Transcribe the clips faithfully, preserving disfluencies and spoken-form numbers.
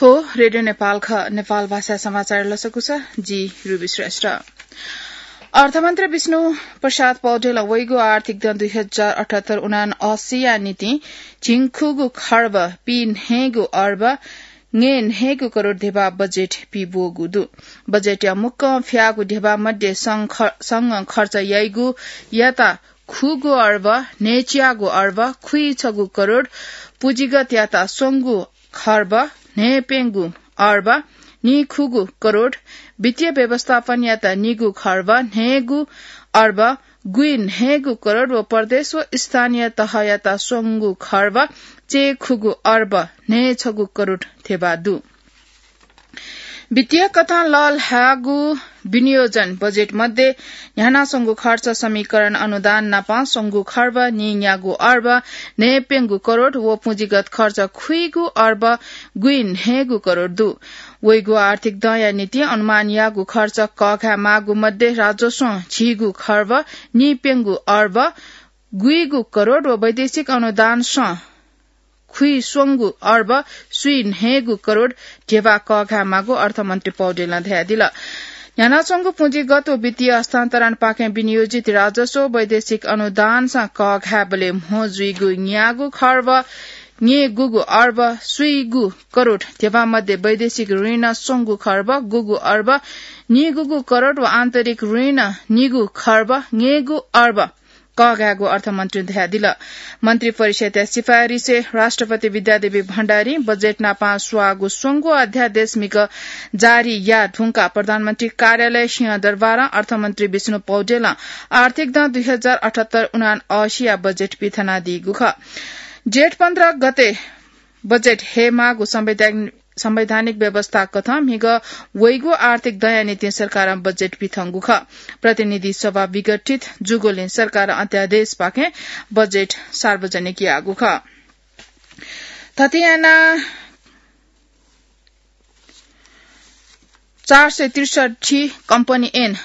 थ्व रेडियो नेपाल ख, नेपाल भाषा समाचार लसकुस, जि रुबी श्रेष्ठ। अर्थमन्त्री विष्णु प्रसाद पौडेलं वइगु आर्थिक दँ दुई हजार अठहत्तर उनान्हय्सिया निंतिं झिंखुगू खर्ब पीन्हय्गू अर्ब न्हय्न्हय्गू करोड धेबा बजेट पीब्वःगु दु। बजेटया मुक्कं फ्याःगु धेबा मध्ये सं ख-, सं खर्च याइगु याता खुगू अर्ब न्हय्च्याःगू अर्ब खुइछगू करोड, पुँजीगत याता स्वंगू खर्ब न्हय्प्यंगू अर्ब निखुगू करोड, वित्तीय व्यवस्थापन याता निगू खर्ब न्हय्गू अर्ब गुइन्हय्गू करोड व प्रदेश व स्थानीय तहयाता स्वंगू खर्ब चय्खुगू अर्ब न्हय्छगू करोड धेबा दु। वित्तीय कथं लःल्हाःगु विनियोजन बजेट मध्ये न्ह्यानाच्वंगु खर्च समीकरण अनुदान नापं स्वंगू खर्ब नीन्यागू अर्ब न्हय्प्यंगू करोड व पुँजीगत खर्च खुइगू अर्ब गुइन्हय्गू करोड दु। वइगु आर्थिक दँया निंतिं अनुमान याःगु खर्च कःघाये माःगु मध्ये राजस्वं झिगू खर्ब नीप्यंगू अर्ब गुइगू करोड व वैदेशिक अनुदानसं खुइस्वंगू अर्ब स्वीन्हय्गू करोड धेबा कःघाये माःगु अर्थमन्त्री पौडेलं धयादिल। न्ह्यानाच्वंगु पुँजीगत व वित्तीय हस्तान्तरणपाखें विनियोजित राजस्व वैदेशिक अनुदानसं कःघायेबलय् म्हो जुइगु न्यागू खर्ब न्यय्गूगू अर्ब स्वीगू करोड धेबा मध्ये वैदेशिक ऋण स्वंगू खर्ब गूगू अर्ब नीगूगू करोड व आन्तरिक ऋण निगू खर्ब न्यय्गू अर्ब कःघायेगु अर्थमन्त्रीं धयादिल। मन्त्री परिषदया सिफारिसय् राष्ट्रपति विद्यादेवी भण्डारीं बजेट नापं स्वाःगु स्वंगू अध्यादेश म्हिगः जारी याये धुंकाः प्रधानमन्त्री कार्यालय सिंहदरबारं अर्थमन्त्री विष्णु पौडेलं आर्थिक दँ दुई हजार अठहत्तर उनान्हय्सिया बजेट पिथनादीगु खः। जेठ पन्ध्र गते बजेट हयेमाःगु संवैधानिक संवैधानिक व्यवस्था कथं म्हिगः वइगु आर्थिक दँया निंतिं सरकारं बजेट पिथंगु खः। प्रतिनिधि सभा विघटित जूगुलिं सरकारं अध्यादेशपाखें बजेट सार्वजनिक याःगु खः। थथे यानाः चार सय त्रिसठी company ऐन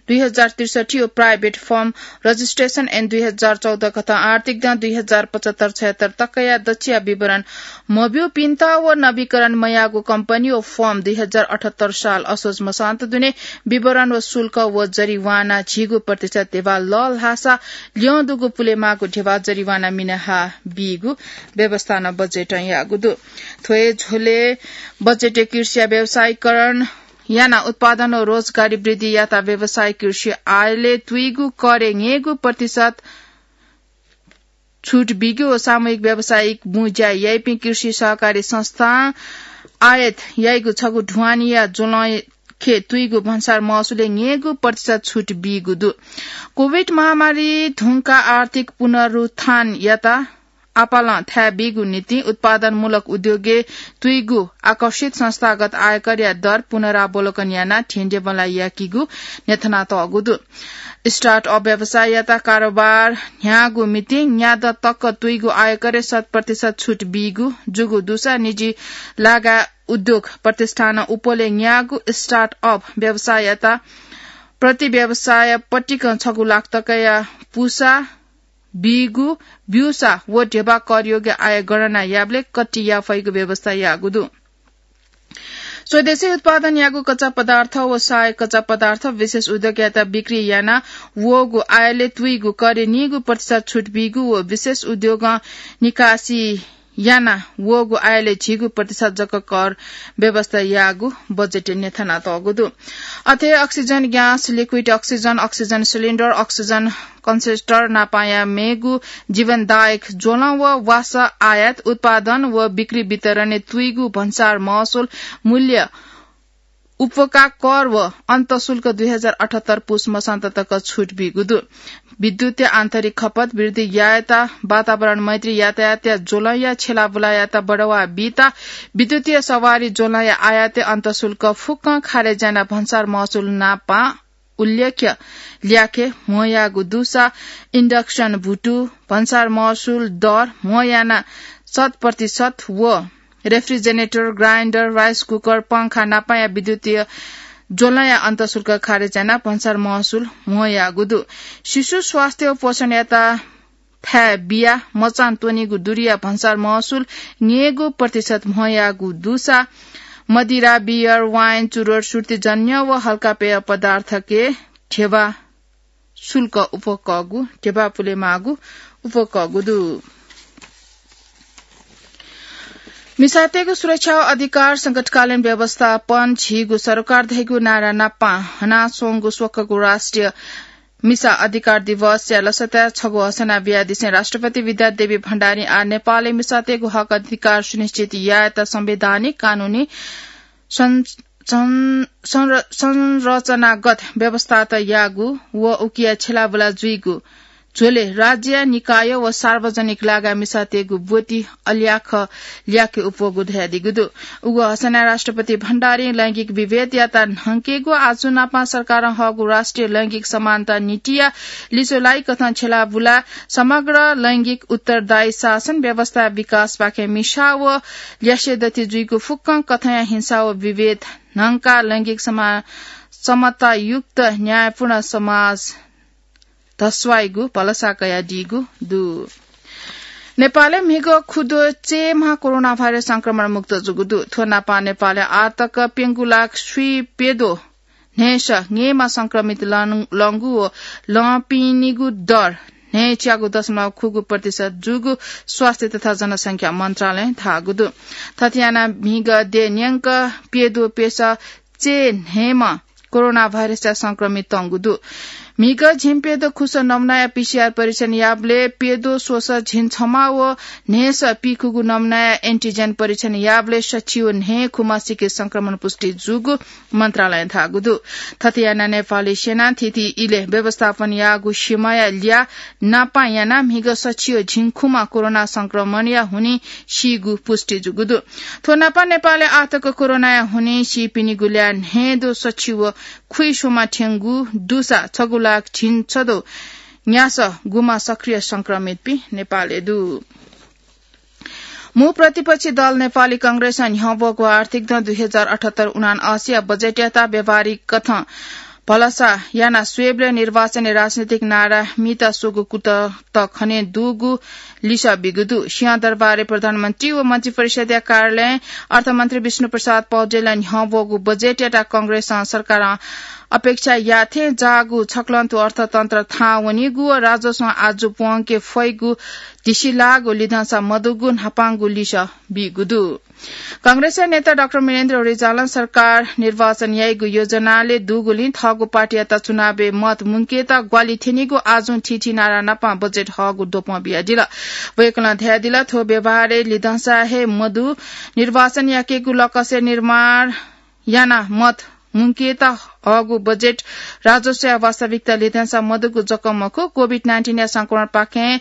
दुई हजार त्रिसठी व private firm registration ऐन दुई हजार चौध कथं आर्थिक दँ दुई हजार पचहत्तर छयहत्तर तकया दच्छिया विवरण मब्यूपिन्त व नवीकरण मयाःगु company व firm दुई हजार अठहत्तर साल असोज मसान्त दुने विवरण व शुल्क व जरिवाना झिगू प्रतिशत धेबा लःल्हाःसा ल्यं दुगु पुलेमाःगु धेबा जरिवाना मिनाहा बीगु व्यवस्था नं बजेटं याःगु दु। थ्व हे झ्वलय् बजेटय् कृषिया व्यावसायीकरण यानाः उत्पादन व रोजगारी वृद्धि याताः व्यावसायिक कृषि आयलय् तुइगु करय् न्यय्गू प्रतिशत छुट बीगु व सामूहिक व्यावसायिक बुँज्या याइपिं कृषि सहकारी संस्थां आयात याइगु छगू ढुवानीया ज्वलंखे तुइगु भन्सार महसुलय् न्यय्गू प्रतिशत छुट बीगु दु। कोभिड महामारी धुंकाः आर्थिक पुनरुत्थान याताः आपालं थाय् बीगु निंतिं उत्पादनमूलक उद्योगय् तुइगु आकर्षित संस्थागत आयकरया दर पुनरावलोकन यानाः धेंधेंबल्लाः याकीगु न्ह्यथनातःगु दु। Start-up व्यवसाययात कारोबार न्ह्याःगु निंतिं न्यादँ तक तुइगु आयकरय् शत प्रतिशत छुट बीगु जूगु दुसा निजी लागा उद्योग प्रतिष्ठानं उपलय् न्याःगु start-up व्यवसाययात प्रति व्यवसाय पतिकं छगू लाख तकया पुसा बीगु ब्यूसा व धेबा करयोग्य आय गणना याबलय् कट्टि याये फइगु व्यवस्था याःगु दु। स्वदेशी उत्पादन याःगु कच्चा पदार्थ व सहायक कच्चा पदार्थ विशेष उद्योगयात बिक्री याना वःगु आयलय् तुइगु करय् नीगू प्रतिशत छुट बीगु व विशेष उद्योगं निकासी याना वःगु आयलय् झिगू प्रतिशत जक कर व्यवस्था याःगु बजेटय् न्ह्यथनातःगु दु। अथे oxygen gas, liquid oxygen, oxygen cylinder, oxygen concentrator नापाया मेगु जीवनदायक ज्वलं व वासः आयात, उत्पादन व बिक्री वितरणय् तुइगु भन्सार महसुल मूल्य उपका कर व अन्तःशुल्क दुई हजार अठहत्तर पुस मसान्त तक छुट बीगु दु। विद्युतीय आन्तरिक खपत वृद्धि यायेत, वातावरण मैत्री यातायातया ज्वलंया छेलाबुलायात बढावा बीत, विद्युतीय सवारी ज्वलंया आयातय् अन्तःशुल्क फुक्कं खारेज यानाः भन्सार महसुल नापं उल्लेख्य ल्याखय् म्हो याःगु दुसा induction भुतु, भन्सार महसुल दर म्हो यानाः शत प्रतिशत व refrigerator, grinder, rice cooker, पंखा नापाया विद्युतीय ज्वलंया अन्तःशुल्क खारेज यानाः भन्सार महसुल म्हो याःगु दु। शिशु स्वास्थ्य व पोषणयात थाय् बियाः मचां त्वनीगु दुरीया भन्सार महसुल न्यय्गू प्रतिशत म्हो याःगु दुसा मदिरा, बियर, वाइन, चुरोट, सुर्तीजन्य व हल्का पेय पदार्थके ध्यबा शुल्क उपकःगु, ध्यबा पुलेमाःगु उपकःगु दु। मिसातय्गु सुरक्षा व अधिकार संकटकालीन व्यवस्थापन झीगु सरकार धइगु नारा नापं हनाच्वंगु स्वकःगु राष्ट्रिय मिसा अधिकार दिवसया लसताय् छगू हसना बियादिसें राष्ट्रपति विद्यादेवी भण्डारी आः नेपालय् मिसातय्गु हक अधिकार सुनिश्चित यायेत संवैधानिक कानूनी सं-, सं-, संर-, संरचनागत व्यवस्थात याःगु व उकिया छेलाबुला जुइगु झ्वलय् राज्य, निकाय व सार्वजनिक लागाय् मिसातय्गु ब्वति अल्याख ल्याके उपवःगु धयादीगु दु। उगु हसनाय् राष्ट्रपति भण्डारीं लैंगिक विभेदयात न्हंकेगु आजु नापं सरकारं हःगु राष्ट्रिय लैंगिक समानता नीतिया लिच्वलाइकथं छेलाबुला समग्र लैंगिक उत्तरदायी शासन व्यवस्था विकासपाखें मिसा व ल्यासे दथि जुइगु फुक्कं कथंया हिंसा व विभेद न्हंकाः लैंगिक समा-, समतायुक्त न्यायपूर्ण समाज धस्वाइगु भलसा कयादीगु दु। नेपालय् म्हिगः खुद्वः चय्म्ह कोरोना भाइरस संक्रमण मुक्त जूगु दु। थ्व नापं नेपालय् आःतक प्यंगू लाख स्वीप्यद्वः न्हय्स न्हय्म्ह संक्रमित लं-, लंगु व लंपिनिगु दर न्हय्च्यागू दशमलव खुगू प्रतिशत जूगु स्वास्थ्य तथा जनसंख्या मन्त्रालयं धाःगु दु। थथे यानाः म्हिगः द्यः न्यंक प्यद्वः प्यसः चय् न्हय्म्ह कोरोना भाइरसया संक्रमित तंगु दु। म्हिगः झिंप्यद्वः खुसः नमुनाया पीसीआर परीक्षण याःबलय् प्यद्वः स्वसः झिंछम्ह व न्हय्सः पीखुगू नमुनाया एन्टिजेन परीक्षण याःबलय् सछि व न्हय् खुम्हसिके संक्रमण पुष्टि जूगु मन्त्रालयं धाःगु दु। थथे यानाः नेपाली सेनां थीथी इलय् व्यवस्थापन याःगु सीमाया ल्याः नापं यानाः म्हिगः सछि व झिंखुम्ह कोरोना संक्रमणया हुनिं सीगु पुष्टि जूगु दु। थ्व नापं नेपालय् आःतक कोरोनाया हुनिं सीपिनिगु ल्याः न्हय्द्वः सछि व खुइस्वम्ह थ्यंगु दुसा छगू लाख झिंछद्वः न्यासः गुम्ह सक्रिय संक्रमितपिं नेपालय् दु। मू प्रतिपक्षी दल नेपाली कांग्रेसं न्ह्यब्वःगु आर्थिक दँ दुई हजार अठहत्तर उनान्असीया बजेटयात व्यावहारिक कथं भलसा यानाः स्वयेबलय् निर्वाचनय् राजनीतिक नारा म्हिता स्वःगु कुतः त खने दुगु लिसः बीगु दु। सिंहदरबारय् प्रधानमन्त्री व मन्त्रिपरिषद्या कार्यालयं अर्थमन्त्री विष्णुप्रसाद पौडेलं न्ह्यब्वःगु बजेटयात कांग्रेसं सरकारं अपेक्षा याःथें जाःगु छक्लंतुं अर्थतन्त्र थाहां वनीगु व राजस्वं आजु प्वंके फइगु धिसिलाःगु लिधंसा मदुगु न्हापांगु लिसः बीगु दु। कांग्रेसया नेता डाक्टर वीरेन्द्र रिजालं सरकार निर्वाचन याइगु योजनालय् दुगुलिं थःगु पार्टीयात चुनावय् मत मुंकेत ग्वाहालि थ्यनीगु आजुं थीथी नारा नापं बजेट हःगु द्वपं बियादिल। वय्कलं धयादिल, थ्व व्यवहारय् लिधंसा हे मदु, निर्वाचन याकेगु लकसय् निर्माण यानाः मत मुंकेत हःगु बजेट राजस्वया वास्तविकता लिधंसा मदुगु जक मखु, कोभिड नाइन्टिनया संक्रमणपाखें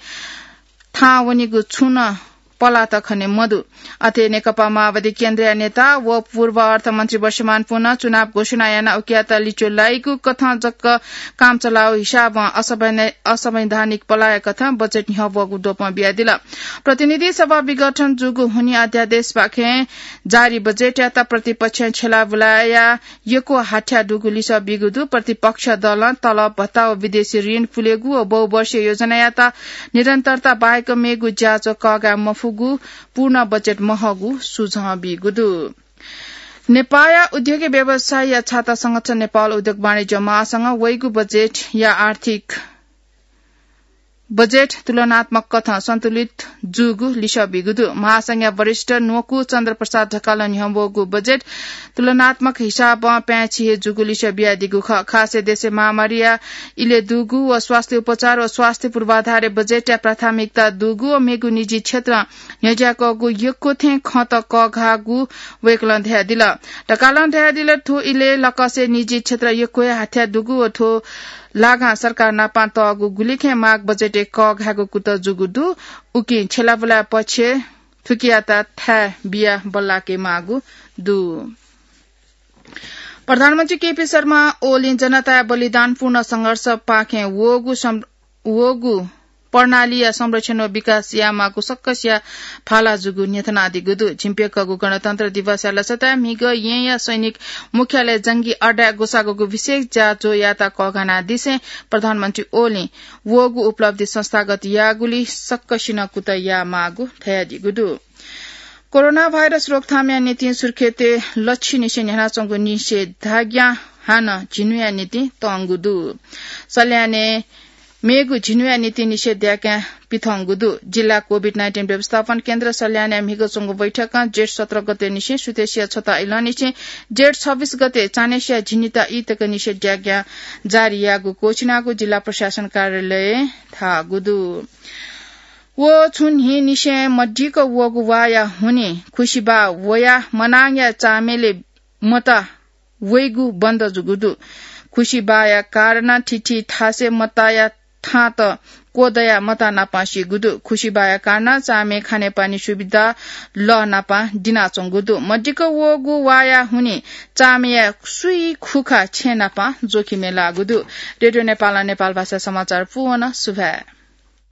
थाहां वनीगु छुं नं पलाः त खने मदु। अथे नेकपा माओवादी केन्द्रया नेता व पूर्व अर्थमन्त्री वर्षमान पुनं चुनाव घोषणा यानाः उकियात लिच्वलाइगु कथं जक काम चलाउ हिसाबं असंवैधा-, असंवैधानिक पलाःया कथं बजेट न्ह्यब्वःगु द्वपं बियादिल। प्रतिनिधि सभा विघटन जूगु हुनिं अध्यादेशपाखें जारी बजेटयात प्रतिपक्षं छेलाबुलाया यक्व हाथ्याः दुगु लिसः बीगु दु। प्रतिपक्ष दलं तलब भत्ता व विदेशी ऋण पुलेगु व बहुवर्षीय योजनायात निरन्तरता बाहेक मेगु ज्याझ्वः कःघाये मफुगु, पूर्ण बजेट महःगु सुझाव बीगु दु। नेपाःया उद्योगी व्यवसायीया छाता संगठन नेपाल उद्योग वाणिज्य महासंघं वइगु बजेटया आर्थिक बजेट तुलनात्मक कथं सन्तुलित जूगु लिसः बीगु दु। महासंघया वरिष्ठ न्वकू चन्द्र प्रसाद ढकालं न्ह्यब्वःगु बजेट तुलनात्मक हिसाबं पाय्छि हे जूगु लिसः बियादीगु खः। खासय् देशय् महामारीया इलय् दुगु व स्वास्थ्य उपचार व स्वास्थ्य पूर्वाधारय् बजेटया प्राथमिकता दुगु व मेगु निजी क्षेत्रं न्ह्यज्याकःगु यक्व थें खँत कःघाःगु वय्कलं धयादिल। ढकालं धयादिल, थ्व इलय् लकसय् निजी क्षेत्र यक्व हे हाथ्याः दुगु व थ्व लागां सरकार नाप तःगु गुलिखय् माग बजेटय् कःघायेगु कुतः जूगु दु। उकिं छेलाबुलाया पक्षय् थुकियात थाय् बियाः बल्लाके माःगु दु। प्रधानमन्त्री केपी शर्मा ओलीं जनताया बलिदानपूर्ण संघर्षपाखें वःगु सं-, वःगु प्रणालीया संरक्षण व विकास यायेमाःगु सक्कसिया भाला जूगु न्ह्यथनादीगु दु। झिंप्यंकःगु गणतन्त्र दिवसया लसताय् म्हिगः येँया सैनिक मुख्यालय जंगी अड्डाय् ग्वसाःगु विशेष ज्याझ्वःयात कःघानादिसें प्रधानमन्त्री ओलीं वःगु उपलब्धि संस्थागत याःगुलिइ सक्कसिनं कुतः यायेमाःगु धयादीगु दु। कोरोना भाइरस रोकथामया निंतिं सुर्खेतय् लच्छिनिसें न्ह्यानाच्वंगु निषेधाज्ञा हानं झिन्हुया निंतिं तंगु दु। सल्यानय् मेगु झिन्हुया निंतिं निषेधाज्ञा पिथंगु दु। जिल्ला कोभिड नाइन्टिन व्यवस्थापन केन्द्र सल्यानय् म्हिगः च्वंगु बैठकं जेठ सत्र गते निसें सुथसिया छता इलंनिसें जेठ छब्बीस गते चान्हय्‌सिया झिन्हुता ई तक निषेधाज्ञा जारी याःगु क्वःछिनागु जिल्ला प्रशासन कार्यालयं धाःगु दु। व छुं न्हिनिसें मदिक्क वःगु वाःया हुनिं खुसिबाः वयाः मनांया चामय्‌लय् मता वइगु बन्द जूगु दु। खुसिबाःया कारणं थीथी थासय् मताया थांत क्वदयाः मता नापं सीगु दु। खुसिबाःया कारणं चामय् खानेपानी सुविधा लः नापं दिनाच्वंगु दु। मदिक्क वःगु वाःया हुनिं चामय्‌या सुइ खुखा छेँ नापं जोखिमय् लाःगु दु। रेडियो नेपालं नेपालभाषा समाचार पूवन। सुभाय्।